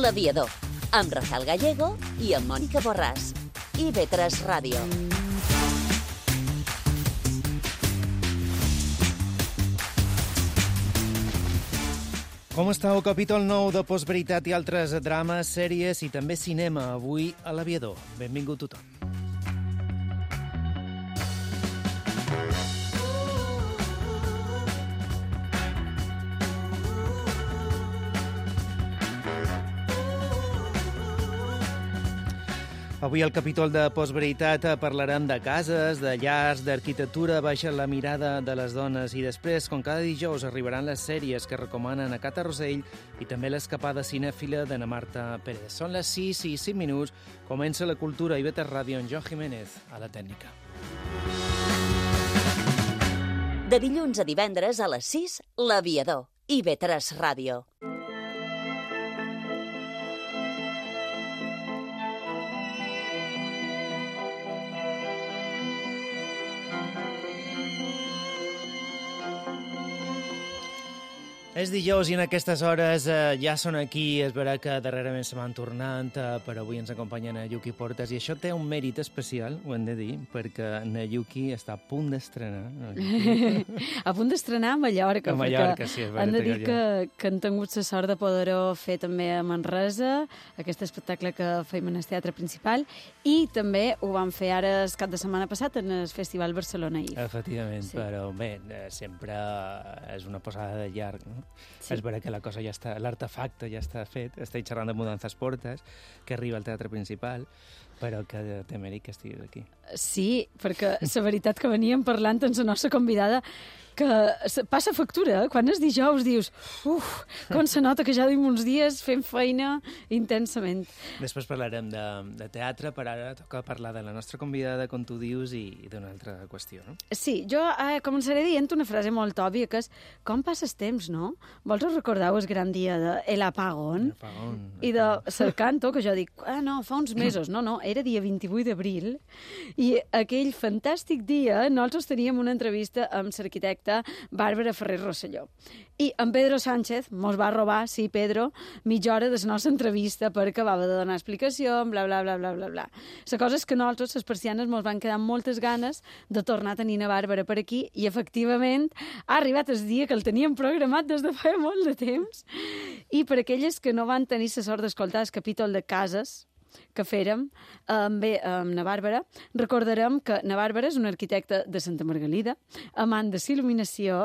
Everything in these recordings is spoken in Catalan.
L'Aviador, amb Rafael Gallego i amb Mònica Borràs. IB3 Ràdio. Com estàu? Capítol 9 de Postveritat i altres drames, sèries i també cinema. Avui a l'Aviador. Benvingut tothom. Avui al capítol de Postveritat parlarem de cases, de llars, d'arquitectura, baixa la mirada de les dones i després, com cada dijous, arribaran les sèries que recomanen a Cata Rosell i també l'escapada cinèfila d'Anna Marta Pérez. Són les 6 i 5 minuts, comença la cultura i IB3 Ràdio amb Joan Jiménez a la tècnica. De dilluns a divendres a les 6, L'Aviador, IB3 Ràdio. És dijous i en aquestes hores ja són aquí, és vera que darrerament se van tornant, però avui ens acompanyen a Yuki Portas i això té un mèrit especial, ho hem de dir, perquè na Yuki està a punt d'estrenar. A punt d'estrenar a Mallorca. A Mallorca, sí, és vera. Han de dir que han tingut la sort de poder-ho fer també a Manresa, aquest espectacle que feim en el teatre principal, i també ho van fer ara el cap de setmana passat en el Festival Barcelona IF. Efectivament, Sí. però bé, sempre és una posada de llarg, no? Sí. És vera que la cosa ja està, l'artefacte ja està fet, estic xerrant de Mudanzas Portas, que arriba al teatre principal, però que té mèrit que estiguis aquí. Sí, perquè la veritat que veníem parlant amb la nostra convidada que passa factura, quan és dijous dius com se nota que ja duim uns dies fent feina intensament. Després parlarem de teatre, però ara toca parlar de la nostra convidada, com tu dius, i d'una altra qüestió, no? Sí, jo començaré dient una frase molt òbvia, que és com passes temps, no? Vols recordar el gran dia de El Apagón? I de Cercanto, que jo dic, no, fa uns mesos, no, era dia 28 d'abril, i aquell fantàstic dia nosaltres teníem una entrevista amb l'arquitecte Bàrbara Ferrer Rosselló. I en Pedro Sánchez mos va robar, sí, Pedro, mitja hora de la nostra entrevista perquè va haver de donar explicació, bla, bla, bla, bla, bla, bla. La cosa és que nosaltres, les persianes, mos van quedar amb moltes ganes de tornar a tenir a Bàrbara per aquí i, efectivament, ha arribat el dia que el teníem programat des de fa molt de temps. I per aquelles que no van tenir la sort d'escoltar el capítol de cases que fèrem amb na Bàrbara, recordarem que na Bàrbara és una arquitecta de Santa Margalida, amant de l'il·luminació,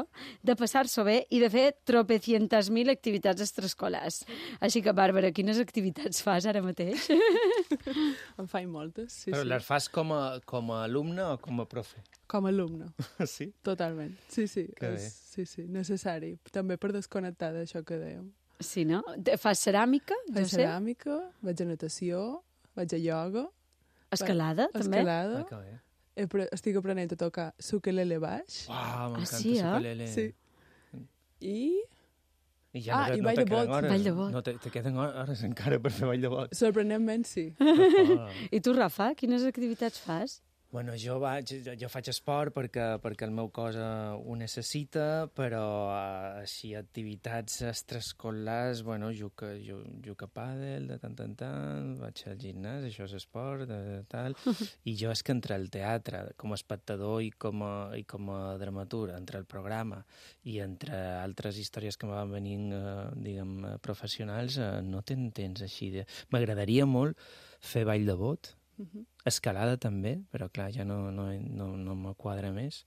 de passar-s'ho bé i de fer tropecientas mil activitats extraescolars. Així que, Bàrbara, quines activitats fas ara mateix? En faig moltes, sí. Però sí. les fas com a alumne o com a profe? Com a alumne, Sí? totalment. Sí, Que bé. sí, necessari. També per desconnectar d'això que dèiem. Sí, no? Fas ceràmica? Faig ceràmica, vaig a natació, vaig a ioga, Escalada, també? escalada. Que bé. Estic aprenent a tocar ukelele baix. Uau, m'encanta sí, eh? ukulele. Sí. I I ja i no ball te de queden bot. hores. Ball de bot. No te queden hores encara per fer ball de bot. sorprenentment sí. I tu, Rafa, quines activitats fas? Bueno, jo faig esport perquè el meu cos ho necessita, però així activitats extraescolars, bueno, juc a pàdel de tant en tant, vaig al gimnàs, això és esport, tal, i jo és que entre el teatre, com a espectador i com a dramaturg, entre el programa i entre altres històries que me van venint, diguem, professionals, no tens temps així. M'agradaria molt fer ball de bot, escalada també, però clar, ja no me quadra més.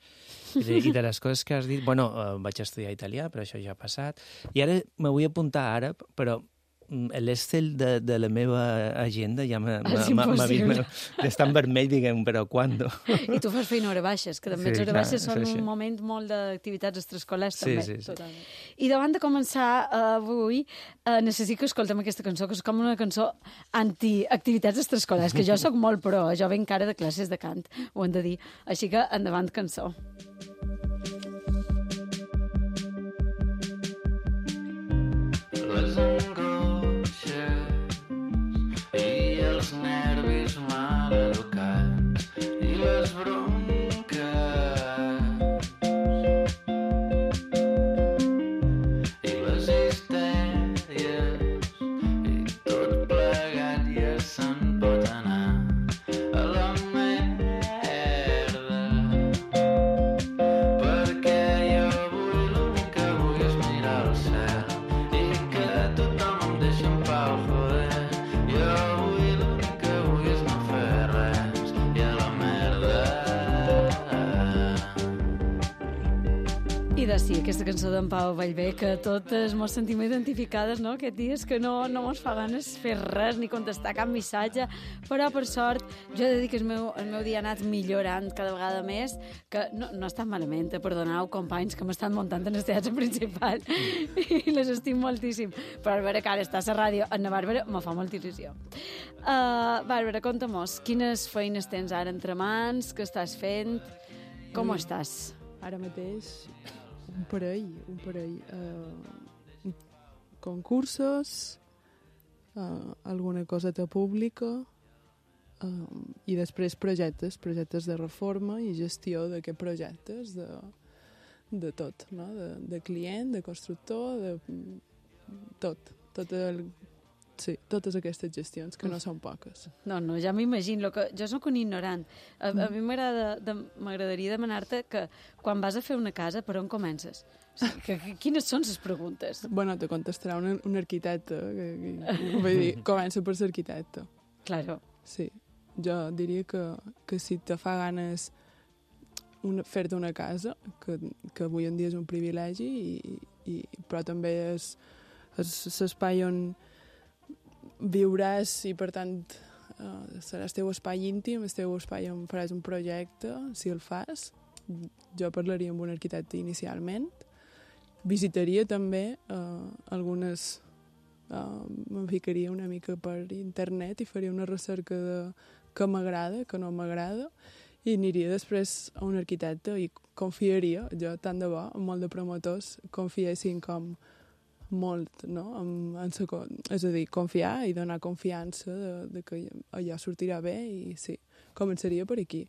I de les coses que has dit... Bueno, vaig estudiar italià, però això ja ha passat. I ara me vull apuntar àrab, però l'Excel de la meva agenda ja està en vermell, diguem, però quan? I tu fas feina a hora baixes, que també les hores baixes són sí. un moment molt d'activitats extraescolars, també. Sí. Totalment. I davant de començar avui, necessito que escoltem aquesta cançó, que és com una cançó anti-activitats extraescolars, que jo sóc molt pro, jo venc ara de classes de cant, ho hem de dir. Així que endavant cançó. Les angoixes i els nervis mal educats i les bronques i les histèries i tots aquesta cançó d'en Pau Vallvé, que totes mos sentim identificades, no? Aquest dies que no mos fa ganes fer res ni contestar cap missatge, però per sort jo he de dir que el meu dia ha anat millorant cada vegada més, que no està malament, perdoneu companys que m'estan muntant en el teatre principal i les estim moltíssim, però a veure que ara està a la ràdio en la Bàrbara me fa molta il·lusió. Bàrbara, conta-mos, quines feines tens ara entre mans, què estàs fent, com estàs? Ara mateix un parell, concursos, alguna coseta pública i després projectes de reforma i gestió d'aquests projectes de tot, no? De client, de constructor, de totes aquestes gestions, que no són poques. No, ja m'imagino. Jo soc un ignorant. A mi m'agradaria demanar-te que quan vas a fer una casa, per on comences? O sigui, quines són les preguntes? Bueno, te contestarà un arquitecte. Vull dir, comença per ser arquitecte. Claro. Sí. Jo diria que si te fa ganes fer-te una casa, que avui en dia és un privilegi, però també és l'espai on viuràs i, per tant, serà el teu espai íntim, el teu espai on faràs un projecte, si el fas. Jo parlaria amb un arquitecte inicialment. Visitaria també algunes... Me'n ficaria una mica per internet i faria una recerca de què m'agrada, què no m'agrada, i aniria després a un arquitecte i confiaria, jo tant de bo, molt de promotors confiessin com molt, no? És a dir, confiar i donar confiança de que allò sortirà bé i sí, començaria per aquí.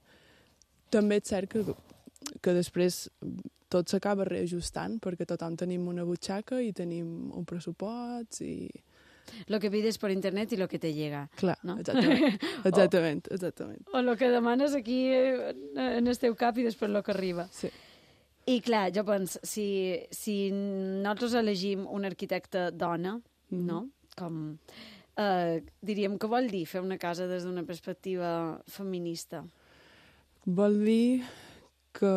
També és cert que després tot s'acaba reajustant perquè tothom tenim una butxaca i tenim un pressupost i... Lo que pides per internet i lo que te llega. Clar, no? exactament. O lo que demanes aquí en el teu cap i després lo que arriba. Sí. I clar, jo penso, si nosaltres elegim un arquitecte dona, no? Com diríem, què vol dir fer una casa des d'una perspectiva feminista? Vol dir que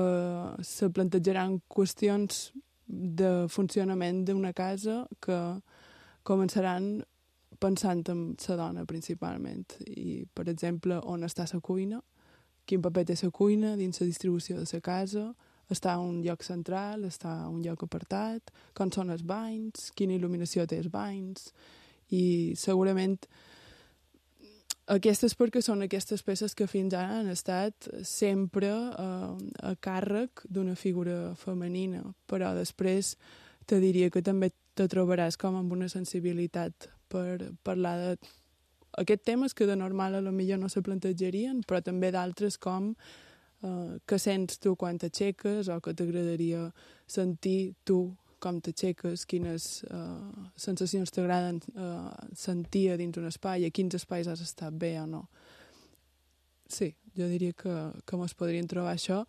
se plantejaran qüestions de funcionament d'una casa que començaran pensant en la dona principalment. I, per exemple, on està la cuina, quin paper té la cuina dins la distribució de la casa, està a un lloc central, està a un lloc apartat, com són els banys, quina il·luminació té els banys, i segurament aquestes perquè són aquestes peces que fins ara han estat sempre a càrrec d'una figura femenina, però després te diria que també te trobaràs com amb una sensibilitat per parlar d'aquests temes que de normal a lo millor no se plantejarien, però també d'altres com que sents tu quan t'aixeques o que t'agradaria sentir tu com t'aixeques, quines sensacions t'agraden sentir dins un espai, a quins espais has estat bé o no. Sí, jo diria que mos podrien trobar això.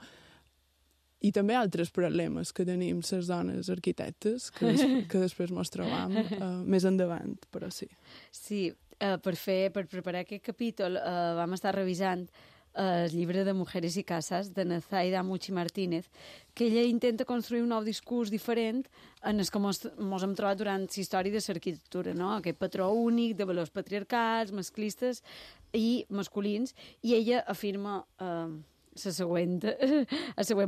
I també altres problemes que tenim les dones arquitectes, que després mos trobam més endavant, però sí. Sí, per preparar aquest capítol vam estar revisant el llibre de Mujeres y Casas de Nazaida Muchi Martínez, que ella intenta construir un nou discurs diferent en el que mos hem trobat durant la història de l'arquitectura, no? Aquest patró únic de valors patriarcals, masclistes i masculins, i ella afirma el següent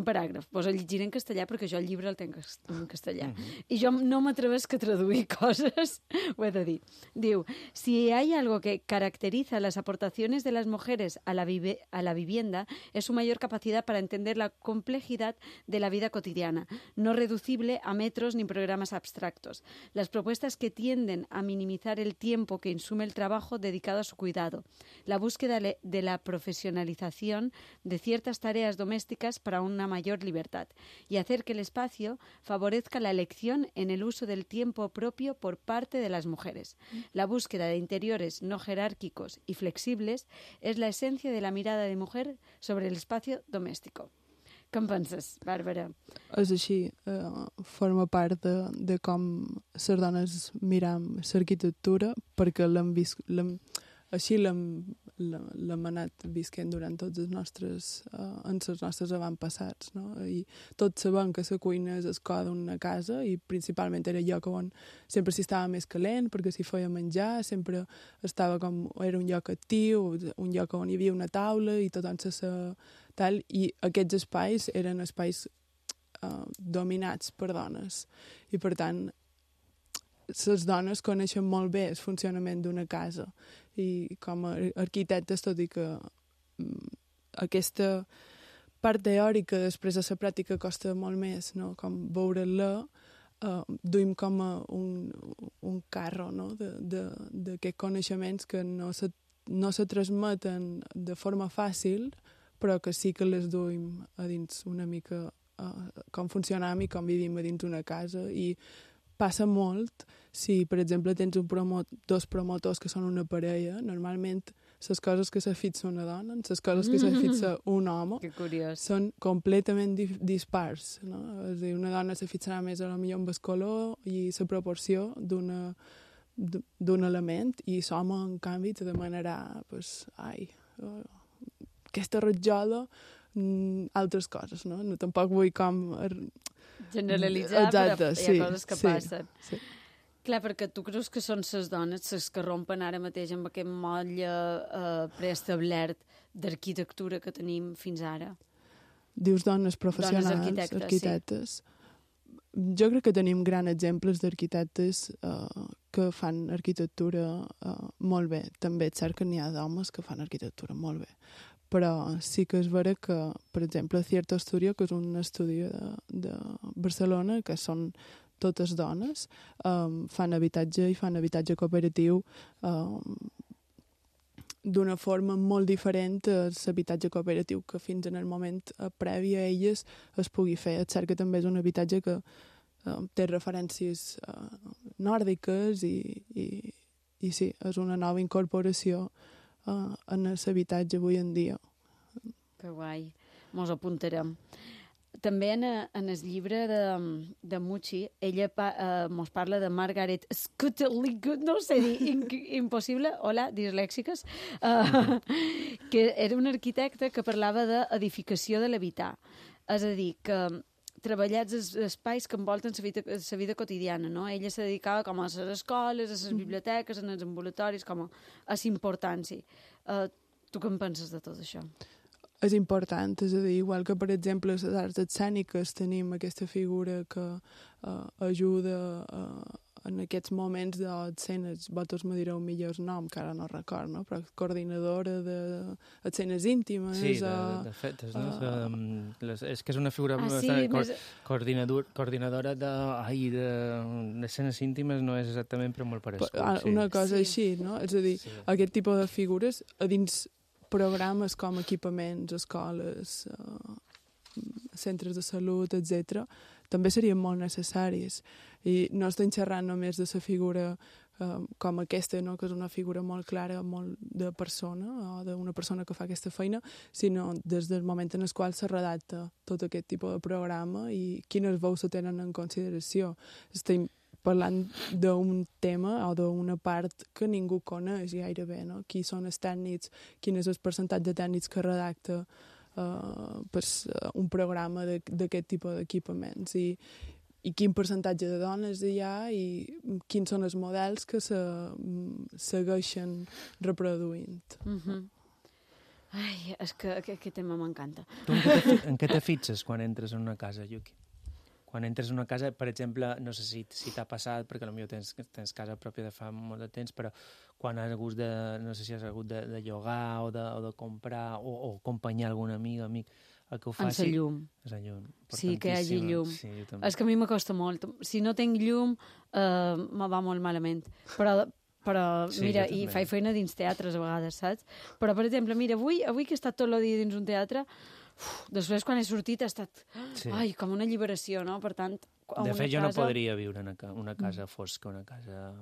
paràgraf. Posa a llegir en castellà perquè jo el llibre el tenc en castellà. I jo no m'atrevesc a traduir coses, ho he de dir. Diu, si hay algo que caracteriza las aportaciones de las mujeres a la vivienda es su mayor capacidad para entender la complejidad de la vida cotidiana, no reducible a metros ni programas abstractos. Las propuestas que tienden a minimizar el tiempo que insume el trabajo dedicado a su cuidado, la búsqueda de la profesionalización de ciertas tareas domésticas para una mayor libertad y hacer que el espacio favorezca la elección en el uso del tiempo propio por parte de las mujeres. La búsqueda de interiores no jerárquicos y flexibles es la esencia de la mirada de mujer sobre el espacio doméstico. Què en penses, Bàrbara? És així, forma part de com les dones miram l'arquitectura perquè l'hem l'hem anat visquent durant tots els nostres, en els nostres avantpassats, no? I tots sabem que la cuina és el cor d'una casa i principalment era el lloc on sempre s'hi estava més calent perquè s'hi feia menjar, sempre era un lloc actiu, un lloc on hi havia una taula i tothom tal, i aquests espais eren espais dominats per dones i per tant les dones coneixen molt bé el funcionament d'una casa i com a arquitectes, tot i que aquesta part teòrica després de la pràctica costa molt més, no? Com veure-la, duim com a un carro, no? D'aquests coneixements que no se transmeten de forma fàcil, però que sí que les duim a dins una mica com funcionam i com vivim a dins una casa. I passa molt si, per exemple, tens dos promotors que són una parella, normalment les coses que se fixa una dona, les coses que se fixa un home, són completament dispars. No? És a dir, una dona se fixarà més a lo millor amb el color i la proporció d'un element, i l'home, en canvi, te demanarà aquesta ratjola, altres coses, no? Tampoc vull com generalitzar, exacte, però hi ha coses que passen. Sí. Clar, perquè tu creus que són les dones les que rompen ara mateix amb aquest motlle preestablert d'arquitectura que tenim fins ara? Dius dones professionals, dones arquitectes. Sí. Jo crec que tenim grans exemples d'arquitectes que fan arquitectura molt bé. També és cert que n'hi ha d'homes que fan arquitectura molt bé. Però sí que és vera que, per exemple, Cierto Studio, que és un estudi de Barcelona, que són totes dones, fan habitatge i fan habitatge cooperatiu d'una forma molt diferent a l'habitatge cooperatiu que fins en el moment previ a elles es pugui fer. És cert que també és un habitatge que té referències nòrdiques i sí, és una nova incorporació en l'habitatge avui en dia. Que guai, mos apuntarem. També en el llibre de Mucci, ella mos parla de Margaret Skutterlig, no sé dir, impossible, hola, dislèxiques, que era una arquitecta que parlava d'edificació de l'habitar. És a dir, que treballats els espais que envolten la vida quotidiana, no? Ella se dedicava com a les escoles, a les biblioteques, a els ambulatoris, com a la importància. Tu què en penses de tot això? És important, és a dir, igual que, per exemple, a les arts escèniques tenim aquesta figura que ajuda en aquests moments d'escenes, vosaltres me direu millor el nom, que ara no record, no? Però coordinadora d'escenes íntimes. Sí, de fetes, no? És que és una figura coordinadora d'escenes íntimes, no és exactament, però molt parescut. Una cosa així, no? És a dir, aquest tipus de figures a dins programes com equipaments, escoles, centres de salut, etc., també serien molt necessaris. I no estem xerrant només de la figura com aquesta, no? Que és una figura molt clara, molt de persona, o d'una persona que fa aquesta feina, sinó des del moment en el qual se redacta tot aquest tipus de programa i quines veus se tenen en consideració. Estem parlant d'un tema o d'una part que ningú coneix gairebé, no? Qui són els tècnics, quin és el percentatge de tècnics que redacta un programa d'aquest tipus d'equipaments i quin percentatge de dones hi ha i quins són els models que se segueixen reproduint. Ai, és que aquest tema m'encanta. Tu en què te fixes quan entres en una casa, Yuki? Quan entres en una casa, per exemple, no sé si t'ha passat, perquè potser tens casa pròpia de fa molt de temps, però quan has hagut no sé si has hagut de llogar o de comprar o acompanyar algun amic, el que ho faci... En la llum. És la llum. Sí, que hi hagi llum. Sí, és que a mi m'acosta molt. Si no tinc llum, me va molt malament. Però sí, mira, i faig feina dins teatres a vegades, saps? Però, per exemple, mira, avui que he estat tot el dia dins un teatre, després quan he sortit ha estat com una alliberació, no? Per tant, de fet, jo no podria viure en una casa fosca, una casa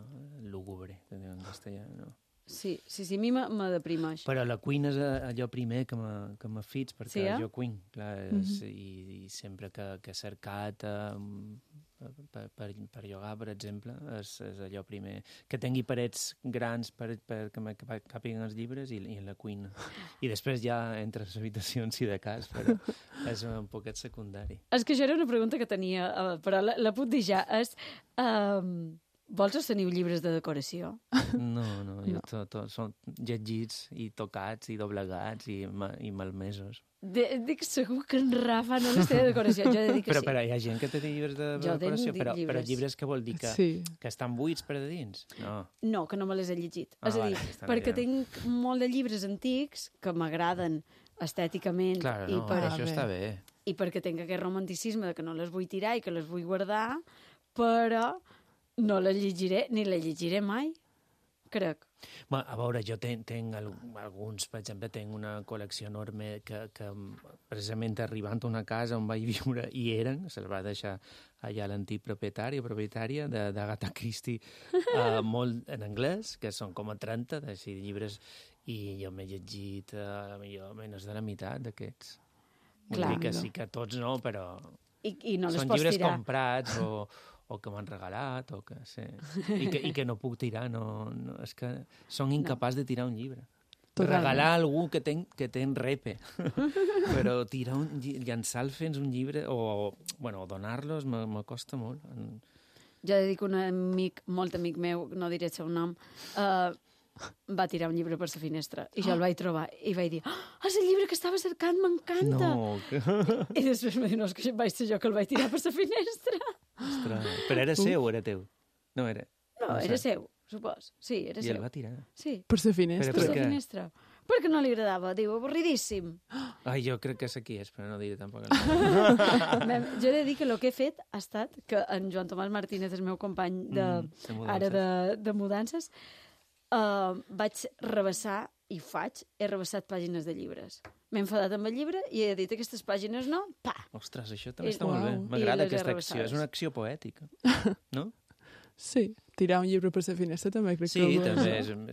lúgubre, en castellà, no? Sí, a mi me deprimeix. Però la cuina és allò primer que me fix, perquè jo cuin, clar, i sempre que he cercat per llogar, per exemple, és allò primer. Que tingui parets grans que me càpiguen els llibres i la cuina. I després ja entre les habitacions, si de cas, però és un poquet secundari. És que això era una pregunta que tenia, però la puc dir ja. Vols o teniu llibres de decoració? No. Tot són llegits i tocats i doblegats i malmesos. Dic segur que en Rafa no les té de decoració. Jo he de dir que però hi ha gent que té llibres de decoració, però llibres que vol dir que estan buits per de dins? No, que no me les he llegit. És a dir, perquè tinc molt de llibres antics que m'agraden estèticament. Clar, això està bé. I perquè tinc aquest romanticisme de que no les vull tirar i que les vull guardar, però no les llegiré, ni les llegiré mai, crec. A veure, jo tinc alguns, per exemple, tinc una col·lecció enorme que precisament arribant a una casa on vaig viure i se'ls va deixar allà l'antic propietari o propietària d'Agatha Christie, molt en anglès, que són com a 30 d'així llibres, i jo m'he llegit millor menys de la meitat d'aquests. Vull dir que sí que tots no, però I no les són pots llibres tirar. comprats o que m'han regalat, o que sí. I que no puc tirar, és que són incapaç de tirar un llibre. Regalar a algú que ten repe. Però llançar fins un llibre, o donar-los, me costa molt. Jo he de dir que un amic, molt amic meu, no diré el seu nom, va tirar un llibre per la finestra i jo el vaig trobar i vaig dir és el llibre que estava cercant, m'encanta. No. I després em va dir, no, és que vaig ser jo que el vaig tirar per la finestra. Ostres, però era seu o era teu? No, era seu, supos. Sí, era seu. I el va tirar? Sí. Per la finestra? Per la finestra. Perquè no li agradava, diu, avorridíssim. Ai, jo crec que és aquí, però no diré tampoc. Jo he de dir que el que he fet ha estat que en Joan Tomàs Martínez, el meu company de mudances, vaig rebassar i he rebassat pàgines de llibres. M'he enfadat amb el llibre i he dit aquestes pàgines no, pa! Ostres, això també està molt bé. M'agrada aquesta acció. És una acció poètica, no? Sí, tirar un llibre per la finestra també crec que...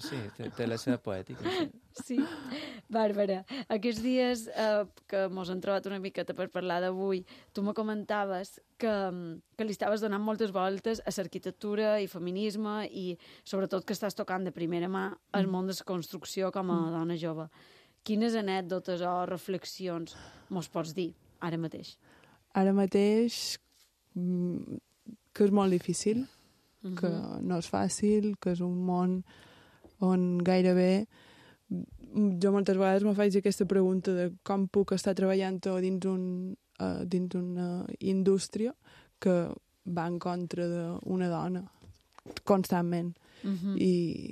Sí, té la seva poètica. Sí. Bàrbara, aquests dies que mos han trobat una miqueta per parlar d'avui, tu me comentaves que li estaves donant moltes voltes a l'arquitectura i feminisme i sobretot que estàs tocant de primera mà el món de la construcció com a dona jove. Quines anècdotes o reflexions mos pots dir ara mateix? Ara mateix que és molt difícil, que no és fàcil, que és un món on gairebé jo moltes vegades me faig aquesta pregunta de com puc estar treballant dins una indústria que va en contra d'una dona constantment i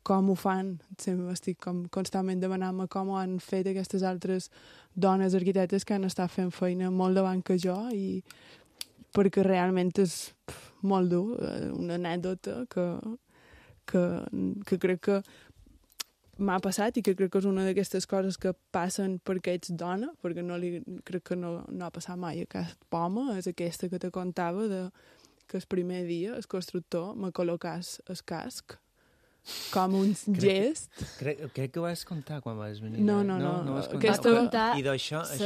com ho fan, sempre estic constantment demanant-me com ho han fet aquestes altres dones arquitectes que han estat fent feina molt davant que jo i perquè realment és molt dur, una anècdota que crec que m'ha passat i que crec que és una d'aquestes coses que passen perquè ets dona, perquè crec que no ha passat mai a cap home, és aquesta que te contava que el primer dia el constructor me col·locàs el casc com un gest. Crec que ho vas contar quan vas venir. No. Vas contar. I d'això és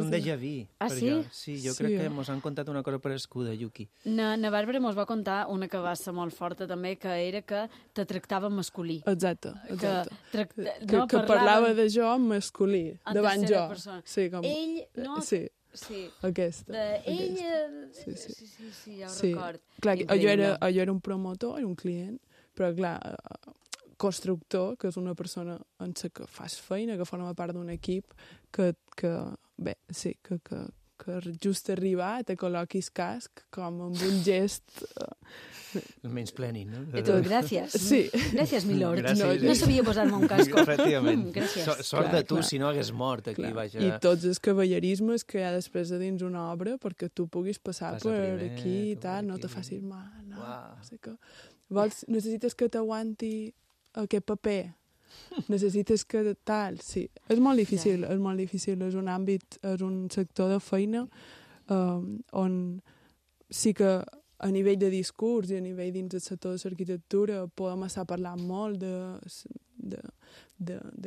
un déjà vu. Ah, sí? Sí, jo crec que mos han contat una cosa parescuda, Yuki. Na Bàrbara mos va contar una que va ser molt forta també, que era que te tractava masculí. Exacte. Que parlava de jo en masculí, davant jo. Sí, com... Ell, no... Sí. Sí. Aquesta. Sí, ja ho record. Clar, jo era un promotor, era un client, però clar, constructor, que és una persona en la que fas feina, que forma part d'un equip, que just arribar te col·loquis casc com amb un gest... El menys plènin, no? I tu, gràcies. Sí. Gràcies, milord. Gràcies, no sabia posar-me un casco. Efectivament. Gràcies. Sort de tu, si no hagués mort aquí. Vaja. I tots els cavallerismes que hi ha després de dins una obra perquè tu puguis passar per aquí i tal, no te facis mal. No sé què. Necessites que t'aguanti aquest paper, necessites que tal, sí. És molt difícil, és un àmbit, és un sector de feina on sí que a nivell de discurs i a nivell dins del sector de l'arquitectura podem estar parlant molt de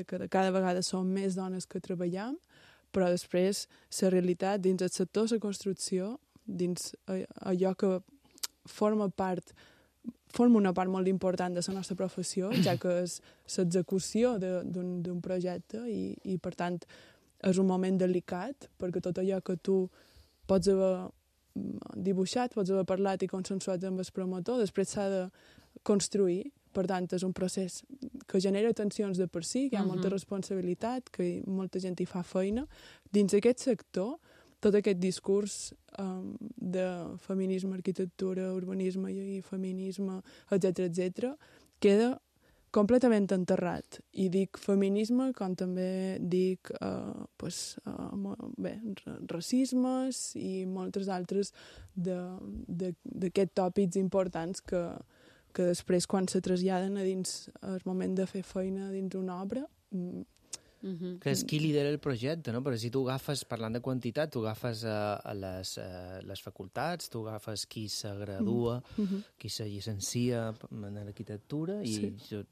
que cada vegada som més dones que treballem, però després la realitat dins el sector de la construcció dins allò que forma una part molt important de la nostra professió, ja que és l'execució d'un projecte i, per tant, és un moment delicat, perquè tot allò que tu pots haver dibuixat, pots haver parlat i consensuat amb el promotor, després s'ha de construir. Per tant, és un procés que genera tensions de per si, que hi ha molta responsabilitat, que molta gent hi fa feina. Dins aquest sector, tot aquest discurs de feminisme, arquitectura, urbanisme i feminisme, etc., queda completament enterrat. I dic feminisme com també dic racismes i moltes altres d'aquests tòpics importants que després, quan se traslladen a dins el moment de fer feina dins una obra... Que és qui lidera el projecte, no? Però si tu agafes, parlant de quantitat, tu agafes les facultats, tu agafes qui se gradua, qui se llicencia en arquitectura, i jo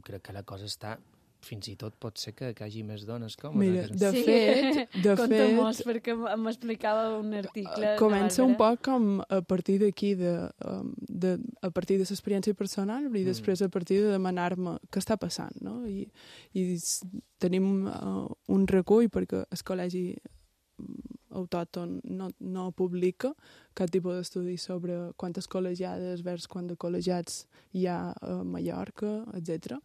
crec que la cosa està... Fins i tot pot ser que hi hagi més dones que homes. Mira, de fet... Conta molts, perquè m'explicava un article... Comença un poc com a partir d'aquí, a partir de l'experiència personal, i després a partir de demanar-me què està passant, no? I tenim un recull, perquè el col·legi autòcton no publica cap tipus d'estudi sobre quantes col·legiades vers quants de col·legiats hi ha a Mallorca, etc.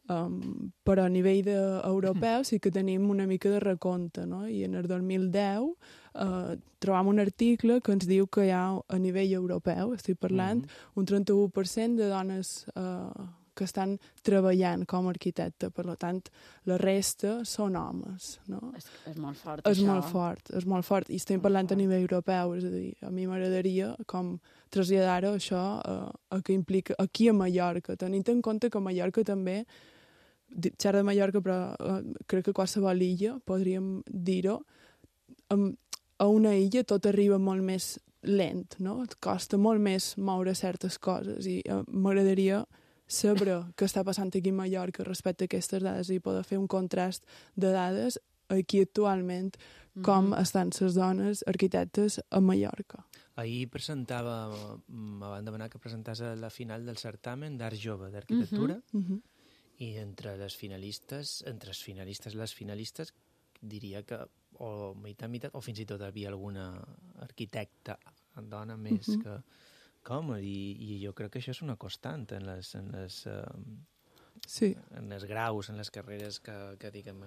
Però a nivell europeu sí que tenim una mica de recompte, no? I en el 2010 trobam un article que ens diu que hi ha a nivell europeu, estic parlant, un 31% de dones que estan treballant com a arquitecte. Per tant, la resta són homes, no? És molt fort, és això. És molt fort. I estem parlant a nivell europeu, és a dir, a mi m'agradaria com traslladar-ho això a què implica aquí a Mallorca, tenint en compte que a Mallorca també, xerra de Mallorca, però crec que qualsevol illa, podríem dir-ho, a una illa tot arriba molt més lent, no? Et costa molt més moure certes coses i m'agradaria saber què està passant aquí a Mallorca respecte a aquestes dades i poder fer un contrast de dades aquí actualment com estan les dones arquitectes a Mallorca. Ahir me van demanar que presentàs a la final del certamen d'Art Jove d'Arquitectura, i entre les finalistes, les finalistes, diria que o meitat, o fins i tot hi havia alguna arquitecta dona més que home, i jo crec que això és una constant en els graus, en les carreres que diguem...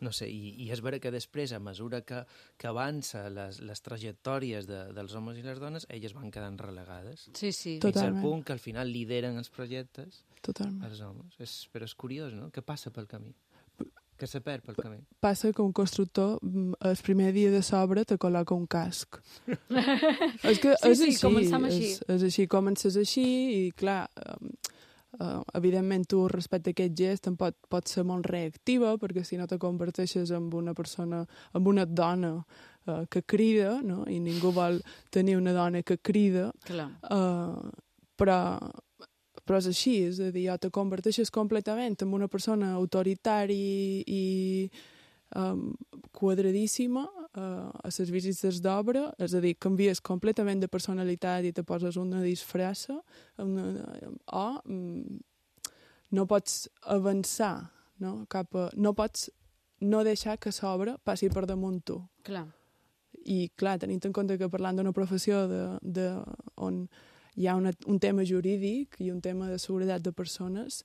No sé, i és vera que després, a mesura que avança les trajectòries dels homes i les dones, elles van quedant relegades. Sí, sí. Fins al punt que al final lideren els projectes Totalment. els homes. Però és curiós, no? Què passa pel camí? Què se perd pel camí? Passa que un constructor, el primer dia de s'obra, te col·loca un casc. És que és així. Començam així. És així, comences així i, clar... evidentment tu respecte a aquest gest pot ser molt reactiva, perquè si no te converteixes en una persona, en una dona que crida, no? I ningú vol tenir una dona que crida. Però és així, és a dir, te converteixes completament en una persona autoritària i quadradíssima a les visites d'obra, és a dir, canvies completament de personalitat i te poses una disfressa o no pots avançar, no? No pots no deixar que l'obra passi per damunt tu. Clar. I clar, tenint en compte que parlant d'una professió on hi ha un tema jurídic i un tema de seguretat de persones,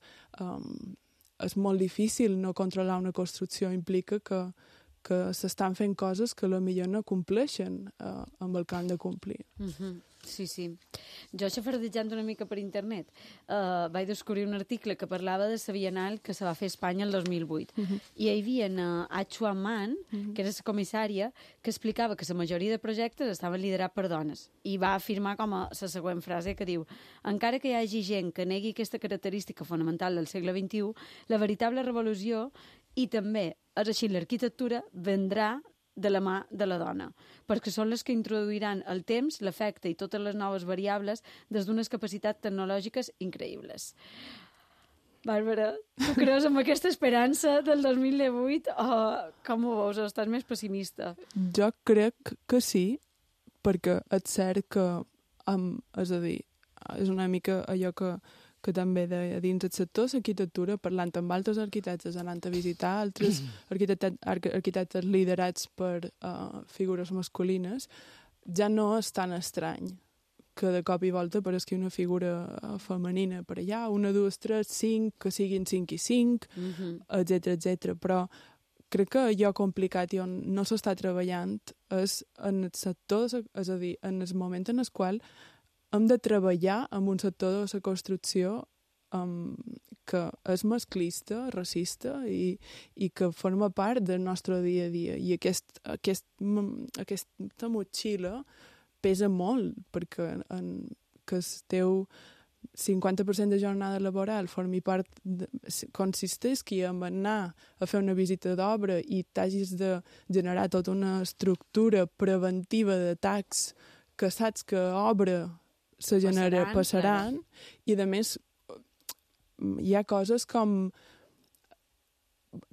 és molt difícil no controlar una construcció, implica que s'estan fent coses que potser no compleixen amb el que han de complir. Sí, sí. Jo, xafardejant una mica per internet, vaig descobrir un article que parlava de la Bienal que se va fer a Espanya el 2008. I hi havia A Chuan Man, que era la comissària, que explicava que la majoria de projectes estaven liderats per dones. I va afirmar com a la següent frase que diu: encara que hi hagi gent que negui aquesta característica fonamental del segle XXI, la veritable revolució, i també és així l'arquitectura, vendrà de la mà de la dona, perquè són les que introduiran el temps, l'efecte i totes les noves variables des d'unes capacitats tecnològiques increïbles. Bàrbara, tu creus en aquesta esperança del 2018 o com ho veus? O estàs més pessimista? Jo crec que sí, perquè és cert que, és a dir, és una mica allò que també de dins del sector, l'arquitectura, parlant amb altres arquitectes, anant a visitar altres arquitectes liderats per figures masculines, ja no és tan estrany que de cop i volta aparegui una figura femenina per allà, 1, 2, 3, 5, que siguin 5 i 5, etc. Però crec que allò complicat i on no s'està treballant és en el sector, és a dir, en el moment en el qual hem de treballar en un sector de la construcció que és masclista, racista i que forma part del nostre dia a dia. I aquesta motxilla pesa molt, perquè que el teu 50% de jornada laboral formi part, consisteix en anar a fer una visita d'obra i t'hagis de generar tota una estructura preventiva d'atacs que saps que obra passaran, i a més hi ha coses com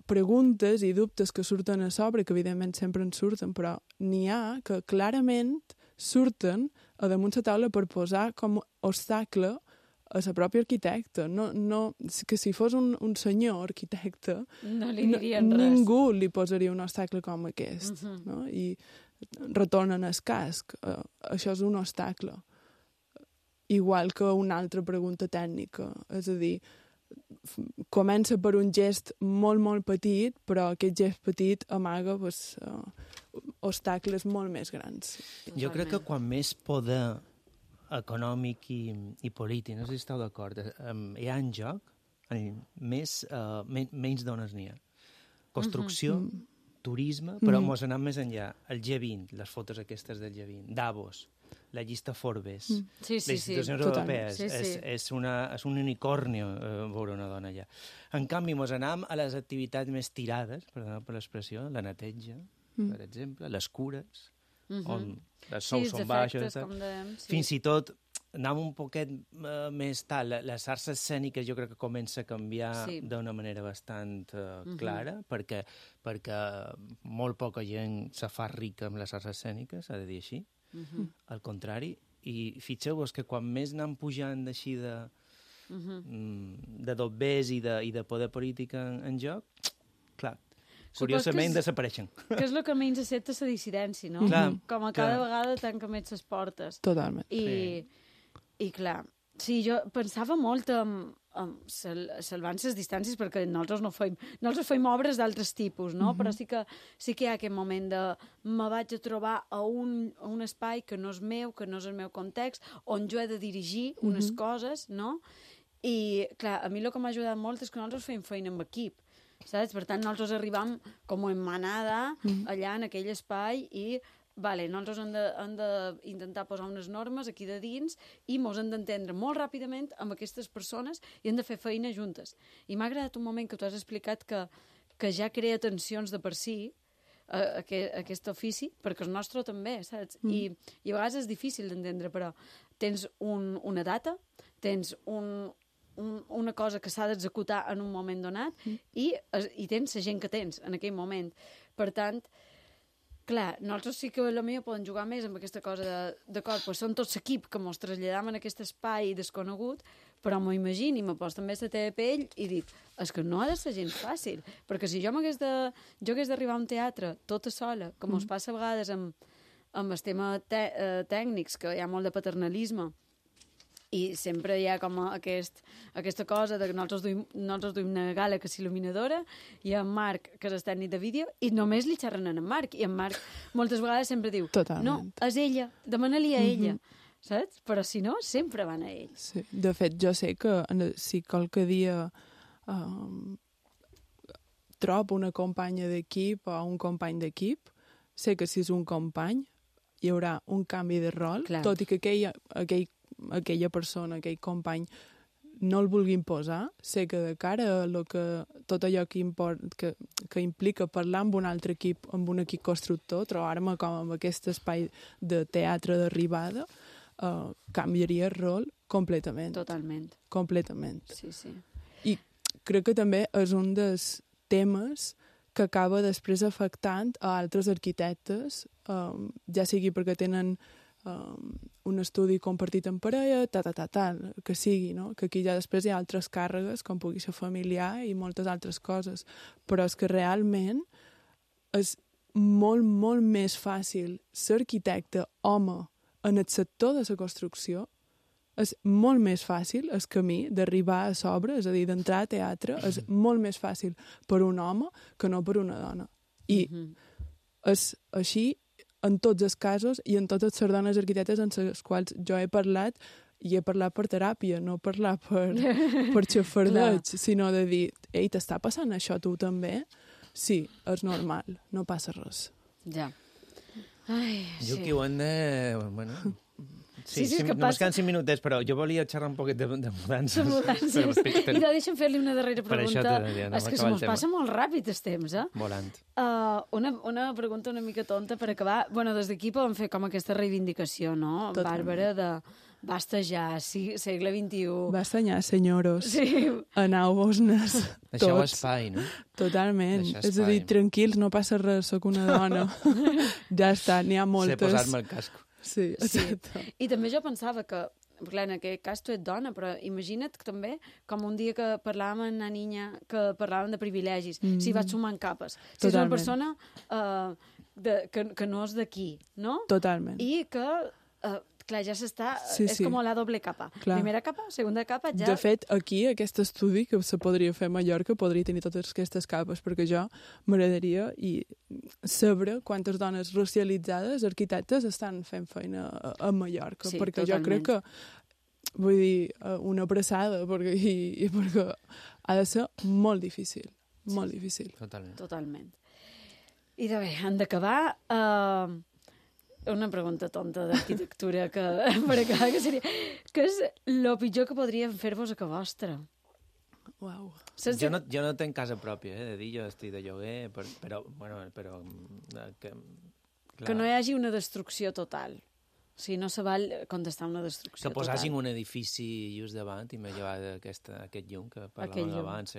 preguntes i dubtes que surten a sobre, que evidentment sempre en surten, però n'hi ha que clarament surten a damunt la taula per posar com obstacle a la pròpia arquitecta. No, que si fos un senyor arquitecte, no li dirien res. Ningú li posaria un obstacle com aquest. No? I retornen el casc. Això és un obstacle. Igual que una altra pregunta tècnica. És a dir, comença per un gest molt, molt petit, però aquest gest petit amaga obstacles molt més grans. Jo crec que quan més poder econòmic i polític, no sé si esteu d'acord, hi ha en joc, menys dones n'hi ha. Construcció, turisme, però mos anem més enllà. El G20, les fotos aquestes del G20, Davos, la llista Forbes, les institucions europees, és un unicornio veure una dona allà. En canvi, mos anem a les activitats més tirades, perdona per l'expressió, la neteja, per exemple, les cures, on les sous són baixes, fins i tot anem un poquet més tal. Les arts escèniques jo crec que comença a canviar d'una manera bastant clara, perquè molt poca gent se fa rica amb les arts escèniques, s'ha de dir així. Al contrari, i fixeu-vos que quan més anem pujant d'així de dobbers i de poder polític en joc, clar, curiosament desapareixen. Que és el que menys accepta la dissidència, no? Com a cada vegada tanca més les portes. Totalment. I clar, sí, jo pensava molt en salvant les distàncies, perquè nosaltres no fem obres d'altres tipus, no? Però sí que hi ha aquest moment de me vaig a trobar a un espai que no és meu, que no és el meu context, on jo he de dirigir unes coses, no? I, clar, a mi el que m'ha ajudat molt és que nosaltres fem feina amb equip, saps? Per tant, nosaltres arribam com en manada allà en aquell espai i nosaltres hem d'intentar posar unes normes aquí de dins i mos hem d'entendre molt ràpidament amb aquestes persones i hem de fer feina juntes. I m'ha agradat un moment que tu has explicat que ja crea tensions de per si aquest ofici, perquè el nostre també, saps? I a vegades és difícil d'entendre, però tens una data, tens una cosa que s'ha d'executar en un moment donat i tens la gent que tens en aquell moment. Per tant, clar, nosaltres sí que potser podem jugar més amb aquesta cosa d'acord, doncs som tots l'equip que ens traslladam en aquest espai desconegut, però m'ho imagino i me poso també la teva pell i dic, és que no ha de ser gens fàcil, perquè si jo hagués d'arribar a un teatre tota sola, com ens passa a vegades amb els temes tècnics, que hi ha molt de paternalisme, i sempre hi ha com aquesta cosa de que nosaltres duim una gala que és il·luminadora i en Marc, que és el tècnic de vídeo, i només li xerren en Marc. I en Marc moltes vegades sempre diu, no, és ella, demana-li a ella. Saps? Però si no, sempre van a ell. Sí. De fet, jo sé que si qualque dia trobo una companya d'equip o un company d'equip, sé que si és un company hi haurà un canvi de rol, tot i que aquella persona, aquell company, no el vulgui imposar, sé que de cara a tot allò que implica parlar amb un altre equip, amb un equip constructor, trobar-me com amb aquest espai de teatre d'arribada, canviaria el rol completament. Totalment. Completament. Sí. I crec que també és un dels temes que acaba després afectant a altres arquitectes, ja sigui perquè tenen un estudi compartit en parella, que sigui, no? Que aquí ja després hi ha altres càrregues, com pugui ser familiar i moltes altres coses. Però és que realment és molt, molt més fàcil ser arquitecte home en el sector de la construcció. És molt més fàcil el camí d'arribar a sobre, és a dir, d'entrar a teatre, és molt més fàcil per un home que no per una dona. I és així en tots els casos i en totes les dones arquitectes en les quals jo he parlat, i he parlat per teràpia, no parlar per xafardeig, sinó de dir, ei, t'està passant això tu també? Sí, és normal, no passa res. Ja. Ai, Jo sí. que ho hem de... Bueno, Sí, és que només passa... queden 5 minutets, però jo volia xerrar un poquet de mudances. De mudances. I de deixa'm fer-li una darrera Per això pregunta. t'he de dir, no És que m'acaba se el mos tema. passa molt ràpid el temps, Volant. Una pregunta una mica tonta per acabar. Bueno, des d'aquí podem fer com aquesta reivindicació, no? Totalment. Bàrbara, de basta ja, segle XXI. Basta ja, senyoros. Sí. Aneu-vos-nes Deixeu tots. espai, no? Totalment. Deixar És a dir, espai. tranquils, no passa res, sóc una dona. Ja està, n'hi ha Sé moltes. posar-me el casco. Sí, Sí. exacte. I també jo pensava que, clar, en aquest cas tu ets dona, però imagina't que també, com un dia que parlàvem amb una niña, que parlàvem de privilegis, si vas sumant capes. Si és una Totalment. persona que no és d'aquí, no? Totalment. I que, clar, ja s'està... Sí, és sí. com la doble capa. Clar. Primera capa, segunda capa, ja... De fet, aquí, aquest estudi que se podria fer a Mallorca podria tenir totes aquestes capes, perquè jo m'agradaria saber quantes dones racialitzades, arquitectes, estan fent feina a Mallorca, Sí, perquè totalment. jo crec que, vull dir, una abraçada, perquè ha de ser molt difícil, molt difícil. Totalment. Totalment. I de bé, han d'acabar... una pregunta tonta d'arquitectura que, per acabar, que seria... Què és el pitjor que podríem fer-vos a casa vostra? Uau. Saps? Jo no tinc casa pròpia, de dir, jo estic de lloguer, però que, clar, Que no hi hagi una destrucció total. O sigui, no se val contestar una destrucció que posessin total. un edifici just davant i me llevar aquest llum que Aquell parlàvem llum. abans,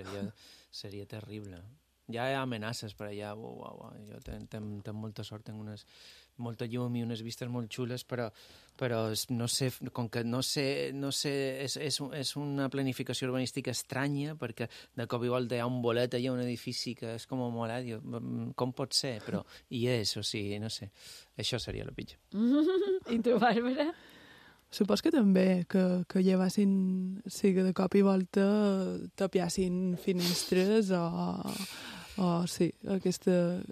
seria terrible. Ja hi ha amenaces per allà, jo tenc molta sort, tinc molta llum i unes vistes molt xules, però no sé, com que no sé, és una planificació urbanística estranya, perquè de cop i volta hi ha un bolet allà, un edifici que és com molt diu, com pot ser? Però hi és, o sigui, no sé, això seria el pitjor. I tu, Bàrbara? Supos que també, que llevassin, sí, que de cop i volta tapiassin finestres o sí,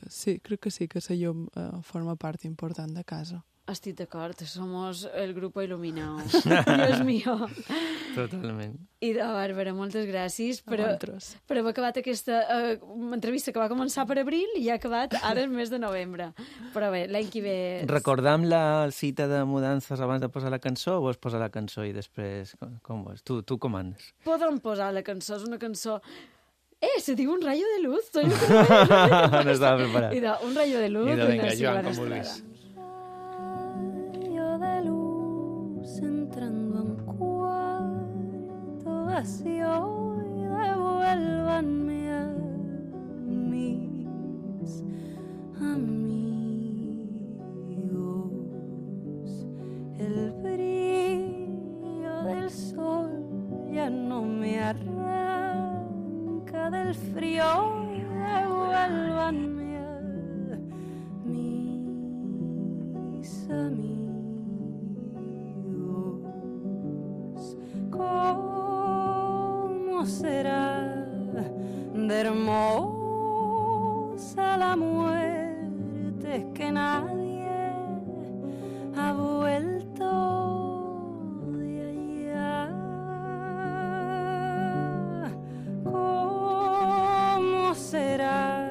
sí, crec que sí, que la llum forma part important de casa. Estic d'acord, somos el grupo iluminado. Dios mío. Totalment. I de Bàrbara, moltes gràcies per vosaltres. haver acabat aquesta entrevista que va començar per abril i ha acabat ara el mes de novembre. Però bé, l'any que ve... Recordam la cita de mudances abans de posar la cançó o vols posar la cançó i després... Com vols? Tu comandes. Podem posar la cançó, és una cançó... se diu un rayo de luz. Soy lo que no veig. No estava preparat. I de un rayo de luz. Idò, vinga, d'una Joan, Silvana com vulguis. Estrada. Rayo de luz entrando en cuarto vacío y devuélvanme a mis amigos. El brillo del sol ya no me arranca del frío y devuélvanme a mis amigos. ¿Cómo será de hermosa la muerte? Es que nadie ha vuelto de allá. ¿Cómo será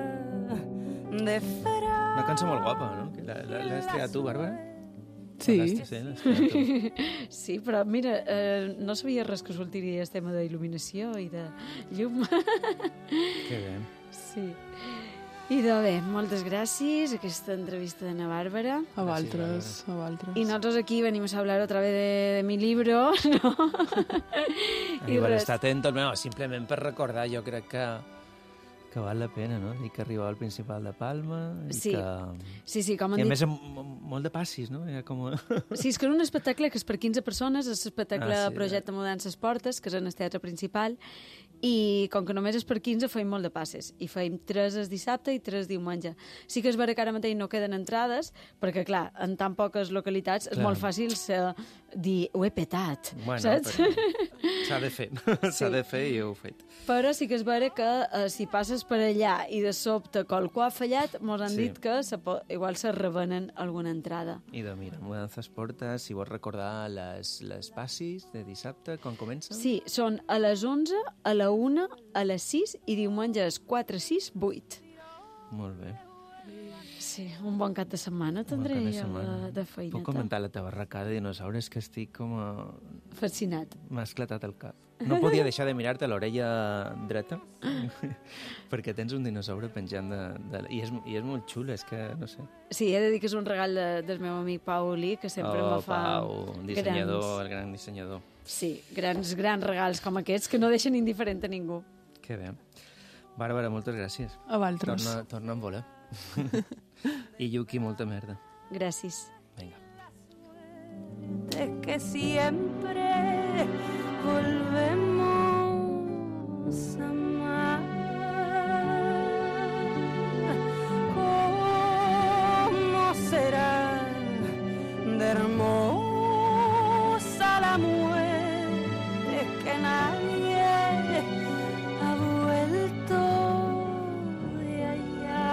de fera? Una cançó molt guapa, no? Que l'has triat tu, Bàrbara? Sí, L'has triat tu. Sí, però mira, no sabia res que sortiria el tema d'il·luminació i de llum. Que bé. Sí. I de bé, moltes gràcies a aquesta entrevista de na Bàrbara. a vosaltres, a vosaltres. Y nosotros aquí venimos a hablar otra vez de mi libro, ¿no? I per estar atentos, no, simplement per recordar, jo crec que Que val la pena, no? I que arribava al Principal de Palma i Sí. que... Sí, com han I a dit... més molt de passis, no? Era com... Sí, és que era un espectacle que és per 15 persones, és l'espectacle sí, Projecte Mudances Portes, que és en el teatre principal, i com que només és per 15 feim molt de passes, i feim 3 el dissabte i 3 diumenge. Sí que és vera que ara mateix no queden entrades, perquè clar, en tan poques localitats és molt fàcil dir, ho he petat, saps? S'ha de fer, s'ha de fer i ho he fet. Però sí que és vera que si passes per allà i de sobte qualcú ha fallat, mos han dit que igual se revenen alguna entrada. I mira, Mudances Portes, si vols recordar les passis de dissabte, quan comencen? Sí, són a les 11, a la 1, a les 6 i diumenge és 4, 6, 8. Molt bé. Sí, un bon cap de setmana tindré jo de feineta. Puc comentar la teva arracada de dinosaures, que estic com a... Fascinat. M'ha esclatat el cap. No podia deixar de mirar-te l'orella dreta, perquè tens un dinosaure penjant I és molt xulo, és que no sé. Sí, he de dir que és un regal del meu amic Pau Olí, que sempre me fa... Pau, dissenyador, el gran dissenyador. Sí, grans regals com aquests que no deixen indiferent a ningú. Que bé. Bàrbara, moltes gràcies. A vosaltres. Torna a volar. I Yuki, molta merda. Gràcies. Venga. De que siempre volvemos a amar. ¿Cómo será de hermosa la muerte que nadie ha vuelto de allá?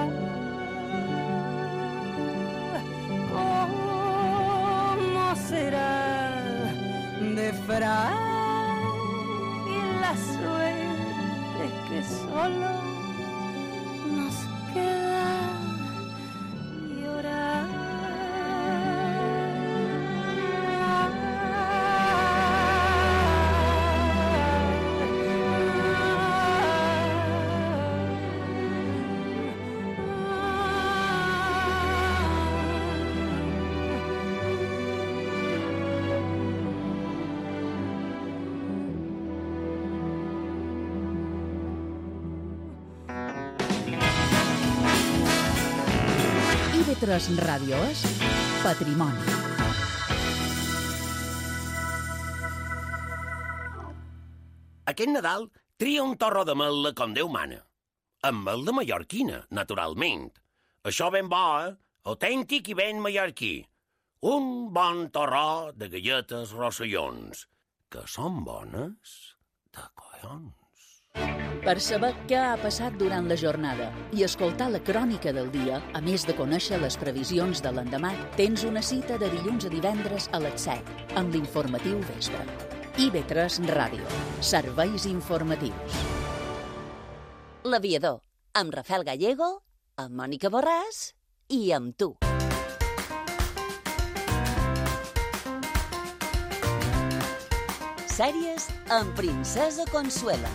¿Cómo será de frágil la suerte que solo nos queda llorar? IB3 Ràdio és Patrimoni. Aquest Nadal tria un torró de mel·la com Déu mana. Amb mel de mallorquina, naturalment. Això ben bo, autèntic i ben mallorquí. Un bon torró de galletes rossellons, que són bones de collons. Per saber què ha passat durant la jornada i escoltar la crònica del dia, a més de conèixer les previsions de l'endemà, tens una cita de dilluns a divendres a les 7 amb l'informatiu vespre. IB3 Ràdio. Serveis informatius. L'Aviador, amb Rafael Gallego, amb Mònica Borràs i amb tu. Sèries amb Princesa Consuela.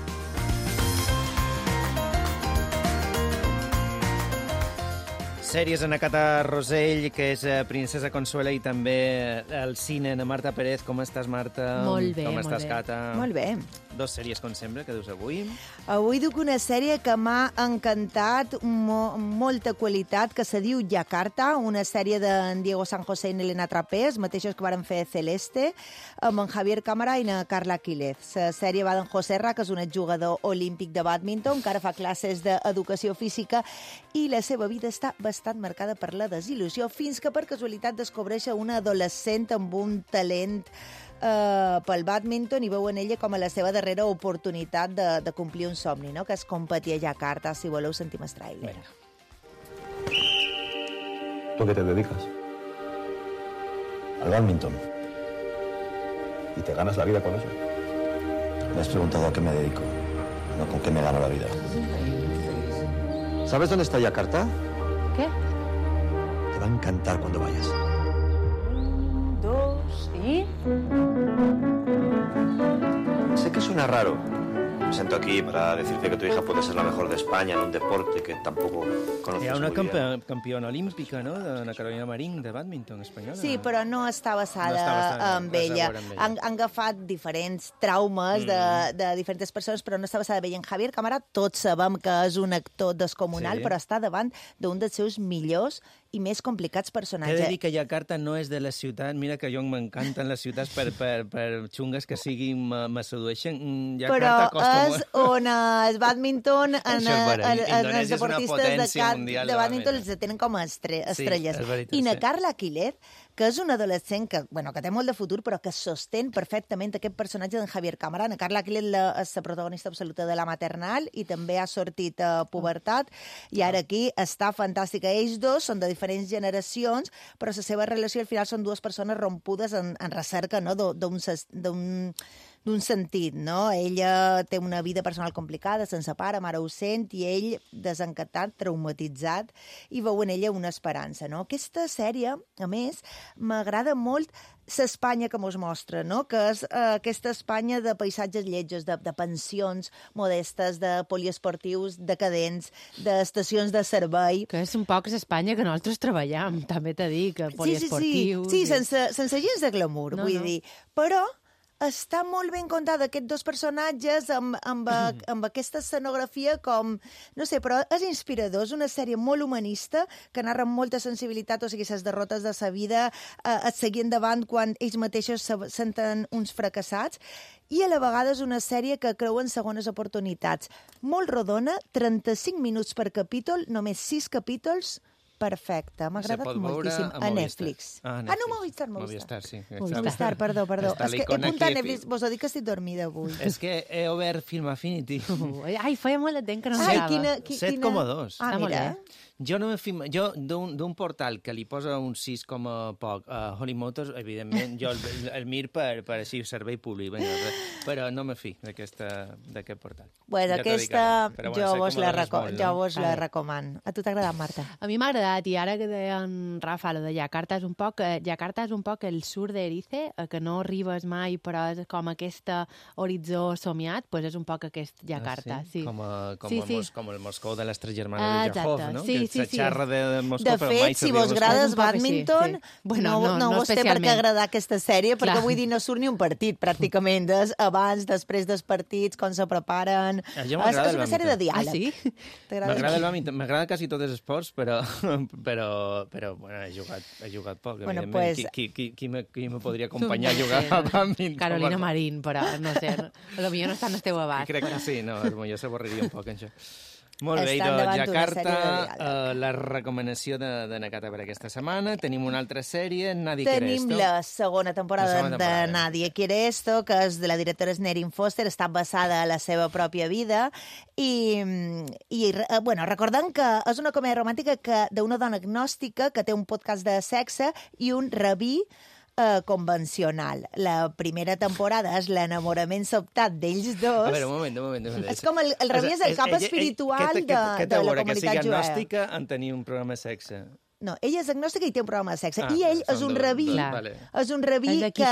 Sèries en Acata Rosell, que és Princesa Consuela, i també el cine de Marta Pérez. Com estàs, Marta? Molt bé, Com molt estàs, bé. Cata? Molt bé. Dos sèries, com sempre, que dius avui. Avui duc una sèrie que m'ha encantat, molta qualitat, que se diu Yakarta, una sèrie d'en Diego San José i Elena Trapés, mateixos que varen fer Celeste, amb en Javier Cámara i na Carla Quílez. La sèrie va d'en José Ra, que és un exjugador olímpic de bàdminton, que ara fa classes d'educació física, i la seva vida està bastant marcada per la desil·lusió, fins que per casualitat descobreix una adolescent amb un talent pel bàdminton i veu en ella com a la seva darrera oportunitat de complir un somni, no? Que és competir a Yakarta. Si voleu, sentim el tràiler. ¿Tú a qué te dedicas? Al bádminton. ¿Y te ganas la vida con eso? Me has preguntado a qué me dedico, no con qué me gano la vida. ¿Sabes dónde está Yakarta? ¿Qué? Te va a encantar cuando vayas. 1, 2 y... Sé que suena raro, Me presento aquí para decirte que tu hija puede ser la mejor de España en un deporte que tampoco conoces Hi ha una muy bien. campiona olímpica, no?, de Carolina Marín, de bàdminton espanyola. Sí, però no està basada amb res a ella. veure amb ella. Han agafat diferents traumes de diferents persones, però no està basada en ella. En Javier Cámara tots sabem que és un actor descomunal, però està davant d'un dels seus millors i més complicats He de personatges. dir que Jakarta no és de la ciutat. Mira que jo m'encanten les ciutats per xungues que siguin, me sedueixen. Però Jakarta costa és on el bàdminton, els Indonèsia és una deportistes potència mundial de bàdminton realment. els tenen com a estrelles. és veritat, I na sí. Carla Aquiler, que és una adolescent que té molt de futur, però que sostén perfectament aquest personatge d'en Javier Cámara. Na Carla Aquiler és la protagonista absoluta de La Maternal i també ha sortit a pubertat, i ara aquí està fantàstica. Ells dos són de diferents generacions, però la seva relació al final són dues persones rompudes en recerca, no?, d'un sentit, no? Ella té una vida personal complicada, sense pare, mare ausent, i ell desencantat, traumatitzat, i veu en ella una esperança, no? Aquesta sèrie, a més, m'agrada molt l'Espanya que mos mostra, no?, que és aquesta Espanya de paisatges lletjos, de pensions modestes, de poliesportius decadents, d'estacions de servei. Que és un poc l'Espanya que nosaltres treballem, també t'he dit, que poliesportius... Sí, sense gens de glamour, vull dir. Però està molt ben contada aquests dos personatges amb aquesta escenografia com... No sé, però és inspirador, és una sèrie molt humanista que narra amb molta sensibilitat, o sigui, les derrotes de sa vida, et seguir endavant quan ells mateixos se senten uns fracassats, i a la vegada és una sèrie que creu en segones oportunitats. Molt rodona, 35 minuts per capítol, només 6 capítols, perfecte, m'ha agradat moltíssim. A Netflix. No, Movistar, sí. Movistar, perdó. És que he apuntat a Netflix, vos ho dic que estic dormida avui. És que he obert Film Affinity. Ai, feia molt de temps que no mirava. 7,2. Ah, mira. Jo d'un portal que li posa un 6 com a poc a Holly Motors, evidentment, jo el mir per així servei públic, però no me fi d'aquest portal. Bueno, aquesta jo vos la recomano. A tu t'ha agradat, Marta? A mi m'ha agradat, i ara que deia en Rafa, lo de Jakarta és un poc el sur d'Erice, que no arribes mai, però és com aquest horitzó somiat, doncs és un poc aquest Jakarta. Sí? Com el Moscou de les tres germanes de Jahov, no? Sí. Xarra de Moscou, de fet, si vos agrada el bàdminton, no vos té per què agradar aquesta sèrie, perquè vull dir, no surt ni un partit, pràcticament, abans, després dels partits, com se preparen. És una sèrie de diàleg. Ah, sí? M'agrada el bàdminton, m'agrada quasi tots els esports, però bueno, he jugat poc, evidentment. Qui me podria acompanyar a jugar a bàdminton? Carolina Marín, però no sé, potser no està en el teu abast. Crec que sí, no, potser s'avorriria un poc, això. Molt bé, Jakarta, la recomanació de Nakata per aquesta setmana. Tenim una altra sèrie, Nadie quiere esto. Tenim la segona temporada de Nadie quiere esto, que és de la directora Snerin Foster, està basada a la seva pròpia vida, i recordem que és una comèdia romàntica d'una dona agnòstica que té un podcast de sexe i un rabí convencional. La primera temporada és l'enamorament sobtat d'ells dos. A veure, un moment. És com el rabí és el cap espiritual de la comunitat jueva. Que sigui agnòstica en tenir un programa de sexe. No, ella és agnòstica i té un programa de sexe. I ell és un rabí. És un rabí que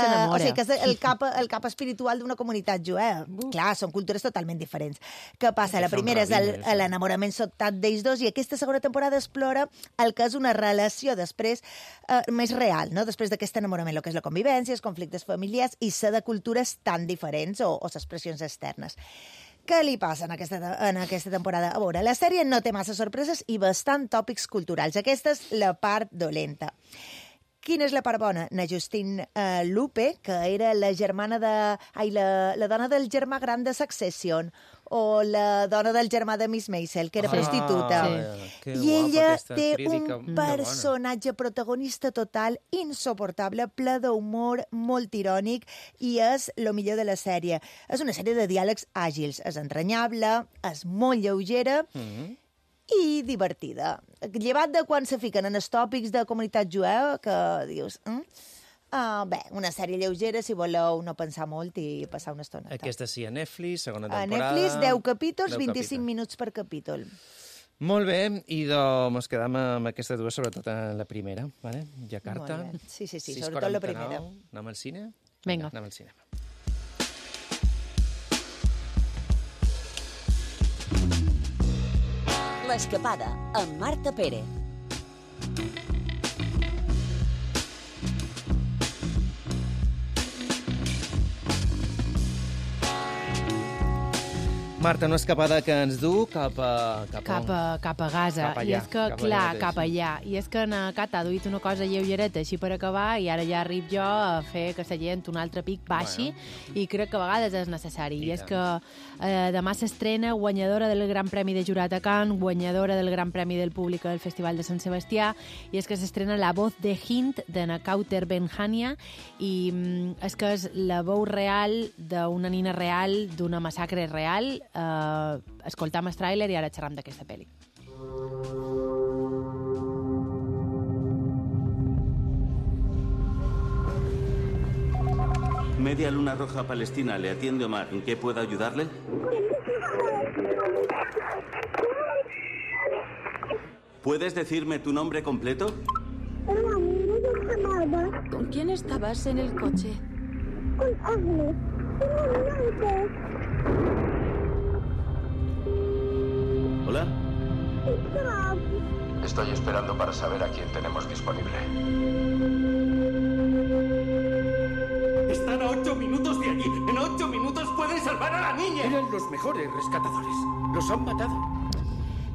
és el cap espiritual d'una comunitat jueva. Clar, són cultures totalment diferents. Què passa? La primera és l'enamorament sobtat d'ells dos, i aquesta segona temporada explora el que és una relació després més real, no? Després d'aquest enamorament, el que és la convivència, els conflictes familiars i ser de cultures tan diferents o expressions externes. Què li passa en aquesta temporada? A veure, la sèrie no té massa sorpreses i bastant tòpics culturals. Aquesta és la part dolenta. Quina és la part bona? Na Justine Lupe, que era la dona del germà gran de Succession, o la dona del germà de Miss Maisel, que era prostituta. I ella té un personatge protagonista total, insoportable, ple d'humor, molt irònic, i és el millor de la sèrie. És una sèrie de diàlegs àgils, és entranyable, és molt lleugera, i divertida. Llevat de quan se fiquen en els tòpics de comunitat jueva, que dius... Bé, una sèrie lleugera, si voleu no pensar molt i passar una estona. Aquesta sí, a Netflix, segona temporada. A Netflix, 10 capítols, 25 minuts per capítol. Molt bé, i mos quedam amb aquestes dues, sobretot en la primera, vale? Jakarta. Sí, sobretot la primera. Anem al cine? Vinga. Anem al cinema. L'Escapada, amb Marta Pérez. Marta, una escapada que ens du cap a Gaza. Cap allà, I és que, clar, cap mateix. allà. I és que en Cat ha duit una cosa lleugereta així per acabar i ara ja arrib jo a fer que la gent un altre pic baixi i crec que a vegades és necessari. I és que demà s'estrena guanyadora del Gran Premi de Jurat a Cannes, guanyadora del Gran Premi del Públic al Festival de Sant Sebastià, i és que s'estrena La voz de Hind, de Nakauter Benhania, i és que és la veu real d'una nina real, d'una massacre real. Escoltam el tràiler i ara xerram d'aquesta pel·li. Media Luna Roja Palestina, le atiende Omar. ¿En qué puedo ayudarle? ¿Puedes decirme tu nombre completo? ¿Con quién estabas en el coche? Con Agnes. Hola. Estoy esperando para saber a quién tenemos disponible. Están a 8 minutos de allí. En 8 minutos pueden salvar a la niña. Eran los mejores rescatadores. Los han matado.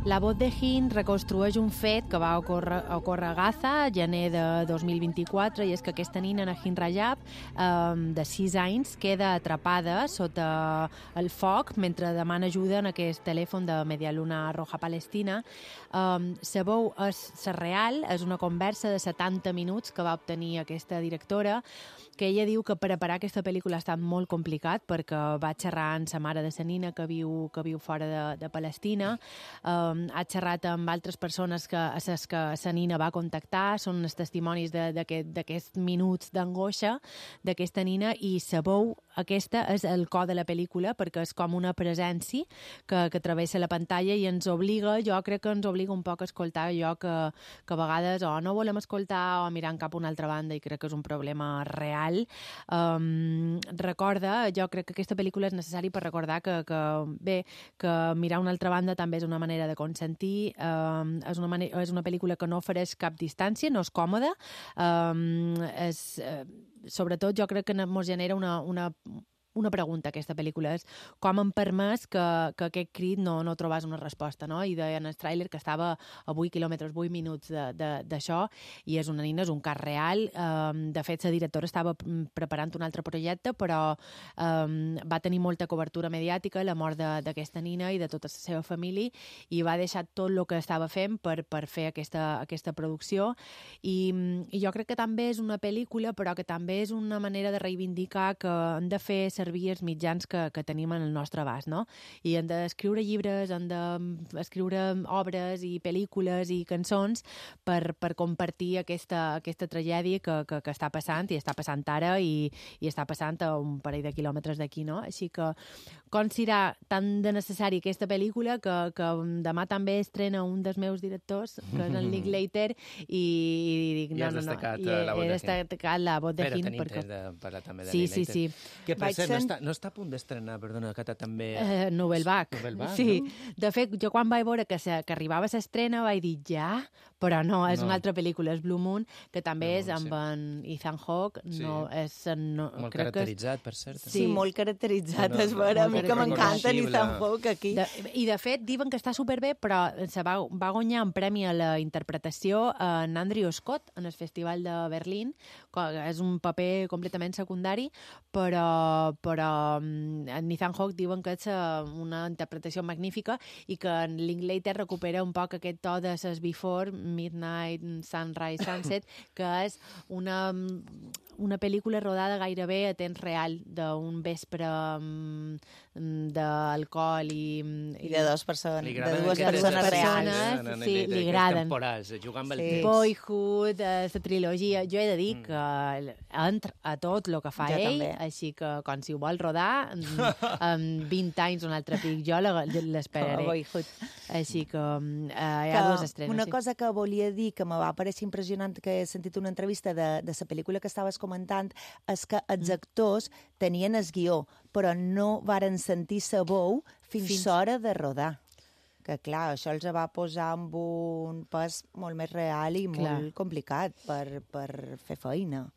La voz de Hind reconstrueix un fet que va ocórrer a Gaza, gener de 2024, i és que aquesta nina, Nahin Rajab, de 6 anys, queda atrapada sota el foc mentre demana ajuda en aquest telèfon de Media Luna Roja Palestina. La veu és real, és una conversa de 70 minuts que va obtenir aquesta directora, que ella diu que preparar aquesta pel·lícula ha estat molt complicat perquè va xerrar amb la mare de la nina que viu fora de Palestina, ha xerrat amb altres persones que la nina va contactar, són els testimonis d'aquests minuts d'angoixa d'aquesta nina, i la veu aquesta és el cor de la pel·lícula perquè és com una presència que travessa la pantalla i ens obliga, jo crec que ens obliga un poc a escoltar allò que a vegades o no volem escoltar o mirant cap a una altra banda, i crec que és un problema real. Recorda, jo crec que aquesta pel·lícula és necessari per recordar que mirar una altra banda també és una manera de consentir, és una pel·lícula que no ofereix cap distància, no és còmoda, sobretot jo crec que ens genera una pregunta, aquesta pel·lícula, és com hem permès que aquest crit no trobés una resposta, no? I deia en el tràiler que estava a 8 quilòmetres, 8 minuts d'això, i és una nina, és un cas real. De fet, la directora estava preparant un altre projecte, però va tenir molta cobertura mediàtica, la mort d'aquesta nina i de tota la seva família, i va deixar tot el que estava fent per fer aquesta producció. I jo crec que també és una pel·lícula, però que també és una manera de reivindicar que hem de fer servir els mitjans que tenim en el nostre abast, no? I hem d'escriure llibres, hem d'escriure obres i pel·lícules i cançons per compartir aquesta tragèdia que està passant, i està passant ara, i està passant a un parell de quilòmetres d'aquí, no? Així que considerar tan de necessari aquesta pel·lícula que demà també estrena un dels meus directors, que és el Linklater, i dic, no. He destacat la voz de Hind. Però tenim temps de parlar també de Linklater. Sí. Que per cert, no està a punt d'estrenar, perdona, que també... Novelback. Sí. No? De fet, jo quan vaig veure que arribava a l'estrena vaig dir ja, però no, és una altra pel·lícula, és Blue Moon, que també és amb en Ethan Hawke. Molt caracteritzat, per cert. Sí, molt caracteritzat, és vera. A mi que m'encanta Ethan Hawke aquí. I de fet, diuen que està superbé, però va guanyar un premi a la interpretació en Andrew Scott en el Festival de Berlín, és un paper completament secundari, però en Ethan Hawke diuen que és una interpretació magnífica, i que en Linklater recupera un poc aquest to de ses Before, Midnight, Sunrise, Sunset, que és una pel·lícula rodada gairebé a temps real, d'un vespre d'alcohol i de dues persones reals. Sí, li agraden. Temporals, jugar amb el temps. Boyhood, la trilogia. Jo he de dir que entra a tot el que fa ell, així que quan si ho vol rodar, en 20 anys un altre pic, jo l'esperaré. Així que hi ha dues estrenes. Una cosa que volia dir, que me va parèixer impressionant, que he sentit una entrevista de la pel·lícula que estaves comentant, és que els actors tenien el guió, però no varen sentir sa veu fins l'hora de rodar. que clar, això els va posar amb un pes molt més real i molt complicat per fer feina.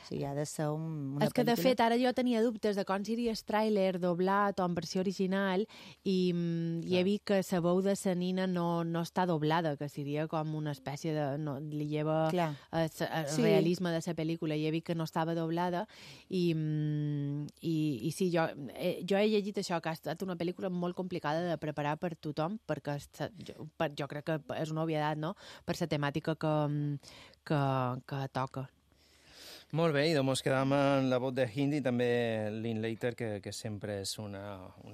O sigui, ha de ser una És que, de pel·lícula... fet, ara jo tenia dubtes de com seria el tràiler doblat o en versió original i he vist que la veu de la nina no està doblada, que seria com una espècie de... No, li lleva el realisme de la pel·lícula i he vist que no estava doblada i sí, jo he llegit això, que ha estat una pel·lícula molt complicada de preparar per tothom, perquè jo crec que és una obvietat, no?, per la temàtica que toca. Molt bé, i doncs quedam en la vot de Hindi, també Linklater, que sempre és un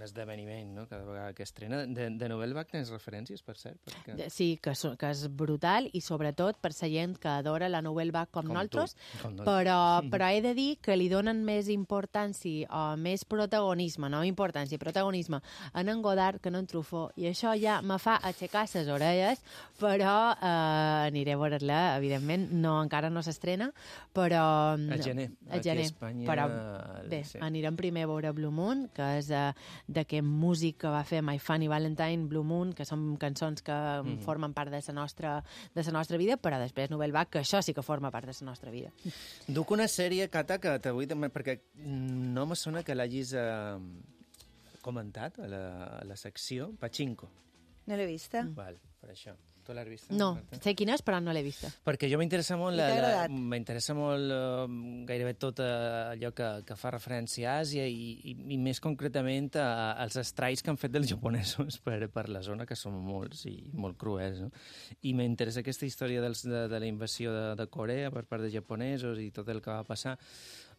esdeveniment, no?, cada vegada que estrena. De Nouvelle Vague tens referències, per cert? Perquè... Sí, que és brutal, i sobretot per la gent que adora la Nouvelle Vague com nosaltres, però he de dir que li donen més importància o més protagonisme, no importància, protagonisme, en Godard que en Truffaut, i això ja me fa aixecar les orelles, però aniré a veure-la, evidentment, encara no s'estrena, però a gener. Aquí a Espanya... Però bé, anirem primer a veure Blue Moon, que és d'aquest músic que va fer My Funny Valentine, Blue Moon, que són cançons que formen part de la nostra vida, però després Nouvelle Vague, que això sí que forma part de la nostra vida. Duc una sèrie, Cata, que t'avui també, perquè no me sona que l'hagis comentat a la secció, Pachinko. No l'he vista. Val, per això. Tu l'has vista? No, sé quina és, però no l'he vista. Perquè jo m'interessa molt gairebé tot allò que fa referència a Àsia i més concretament als estralls que han fet dels japonesos per la zona, que són molts i molt cruels, no? I m'interessa aquesta història de la invasió de Corea per part de japonesos i tot el que va passar.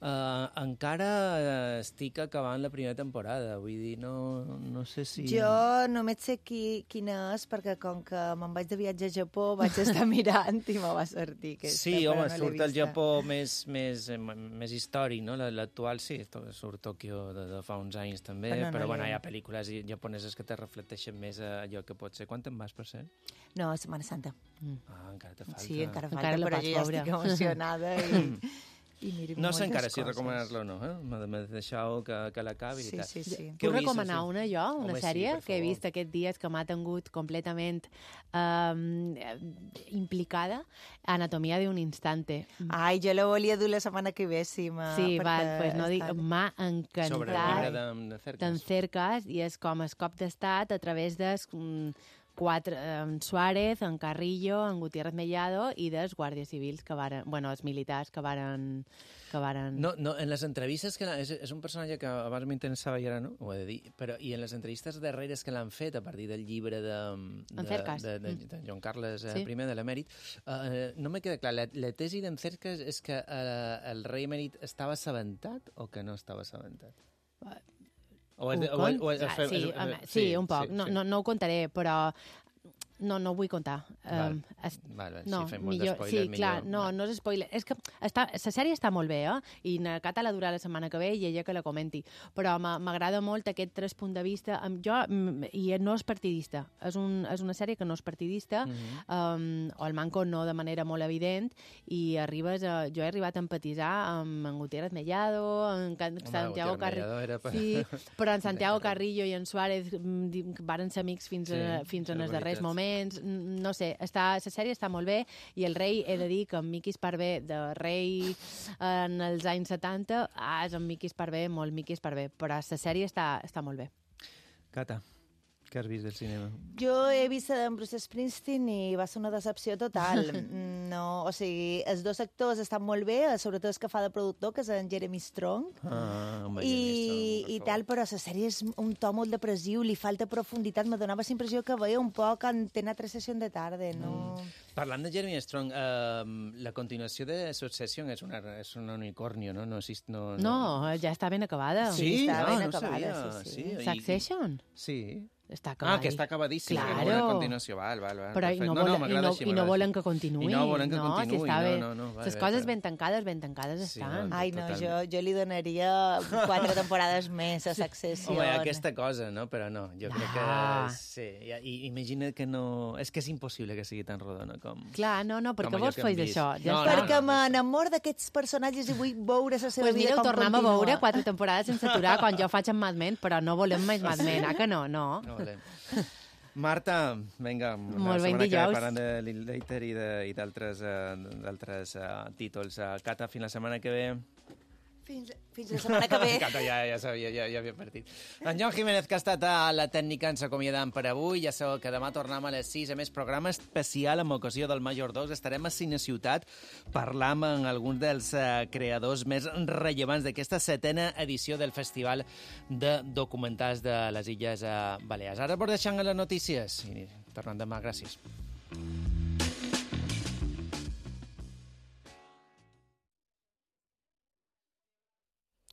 Encara estic acabant la primera temporada, vull dir, no sé si... Jo només sé quina és, perquè com que me'n vaig de viatge a Japó vaig estar mirant i me va sortir aquesta. Sí, home, surt el Japó més històric, no? L'actual sí, surt Tòquio de fa uns anys també, però bueno, hi ha pel·lícules japoneses que te reflecteixen més allò que pot ser. Quan te'n vas, per cert? No, a Setmana Santa. Encara te falta. Sí, encara falta, però jo ja estic emocionada no sé encara si recomanar-la o no, m'he deixat que l'acabi i tal. Sí. Puc recomanar una jo, una sèrie que he vist aquests dies que m'ha tingut completament implicada, Anatomia d'un instante. Ai, jo la volia dur la setmana que ve, sí. Sí, pues no dic, m'ha encantat. Sobre el llibre d'en Cercas, i és com el cop d'estat a través de en Suárez, en Carrillo, en Gutiérrez Mellado i dels guàrdies civils que varen... Bueno, els militars que varen... No, en les entrevistes que és un personatge que abans m'interessava i ara no, ho he de dir, però i en les entrevistes darreres que l'han fet a partir del llibre de Joan Carles I de l'emèrit, no me queda clar, la tesi d'en Cercas és que el rei emèrit estava assabentat o que no estava assabentat? Sí, un poc. No ho contaré, però no ho vull contar. Si fem molt d'espoiler, millor. No és spoiler. És que la sèrie està molt bé, i na Cata la durà la setmana que ve i ella que la comenti. Però m'agrada molt aquest tres punts de vista. I no és partidista. És una sèrie que no és partidista, o el manco no de manera molt evident, i jo he arribat a empatitzar amb en Gutiérrez Mellado, en Santiago Carrillo... Sí, però en Santiago Carrillo i en Suárez varen ser amics fins en els darrers moments. No sé, la sèrie està molt bé, i el rei, he de dir que en Miqui Esparvé, de rei en els anys 70, és en Miqui Esparvé, molt Miqui Esparvé, però la sèrie està molt bé. Cata, què has vist del cinema? Jo he vist en Bruce Springsteen i va ser una decepció total. O sigui, els dos actors estan molt bé, sobretot el que fa de productor, que és en Jeremy Strong, i tal, però la sèrie és un to molt depressiu, li falta profunditat, me donava la impressió que veia un poc Antena 3 Session de tarda, no... Parlant de Jeremy Strong, la continuació de Succession és un unicornio, no? No, ja està ben acabada. Sí, està ben acabada. Succession? Sí. Està acabadíssim. Que està acabadíssim. Claro. Una continuació, val. Però i no volen que continuï. I no volen que continuï, no. Les coses ben tancades estan. Ai, no, jo li donaria 4 temporades més a Succession. Home, aquesta cosa, no? Però no, jo crec que... Sí, imagina que no... És que és impossible que sigui tan rodona com... Clar, no, per què vols fer això? Perquè m'enamor d'aquests personatges i vull veure la seva vida com continua. Doncs mira, ho tornem a veure 4 temporades sense aturar quan jo faig en Mad Men, però no volem més Mad Men, que no? Marta, vinga, Molt la ben setmana que ve dijous. parlant de Linklater i d'altres títols. Cata, fins la setmana que ve. Fins la setmana que ve. Cata, ja sabia, ja havia partit. En Joan Jiménez, que ha estat a la tècnica, ens acomiadam per avui. Ja sabeu que demà tornem a les 6. A més, programa especial amb ocasió del Major 2. Estarem a Cine Ciutat parlant amb alguns dels creadors més rellevants d'aquesta 7a edició del Festival de Documentals de les Illes Balears. Ara vos deixant a les notícies i tornem demà. Gràcies.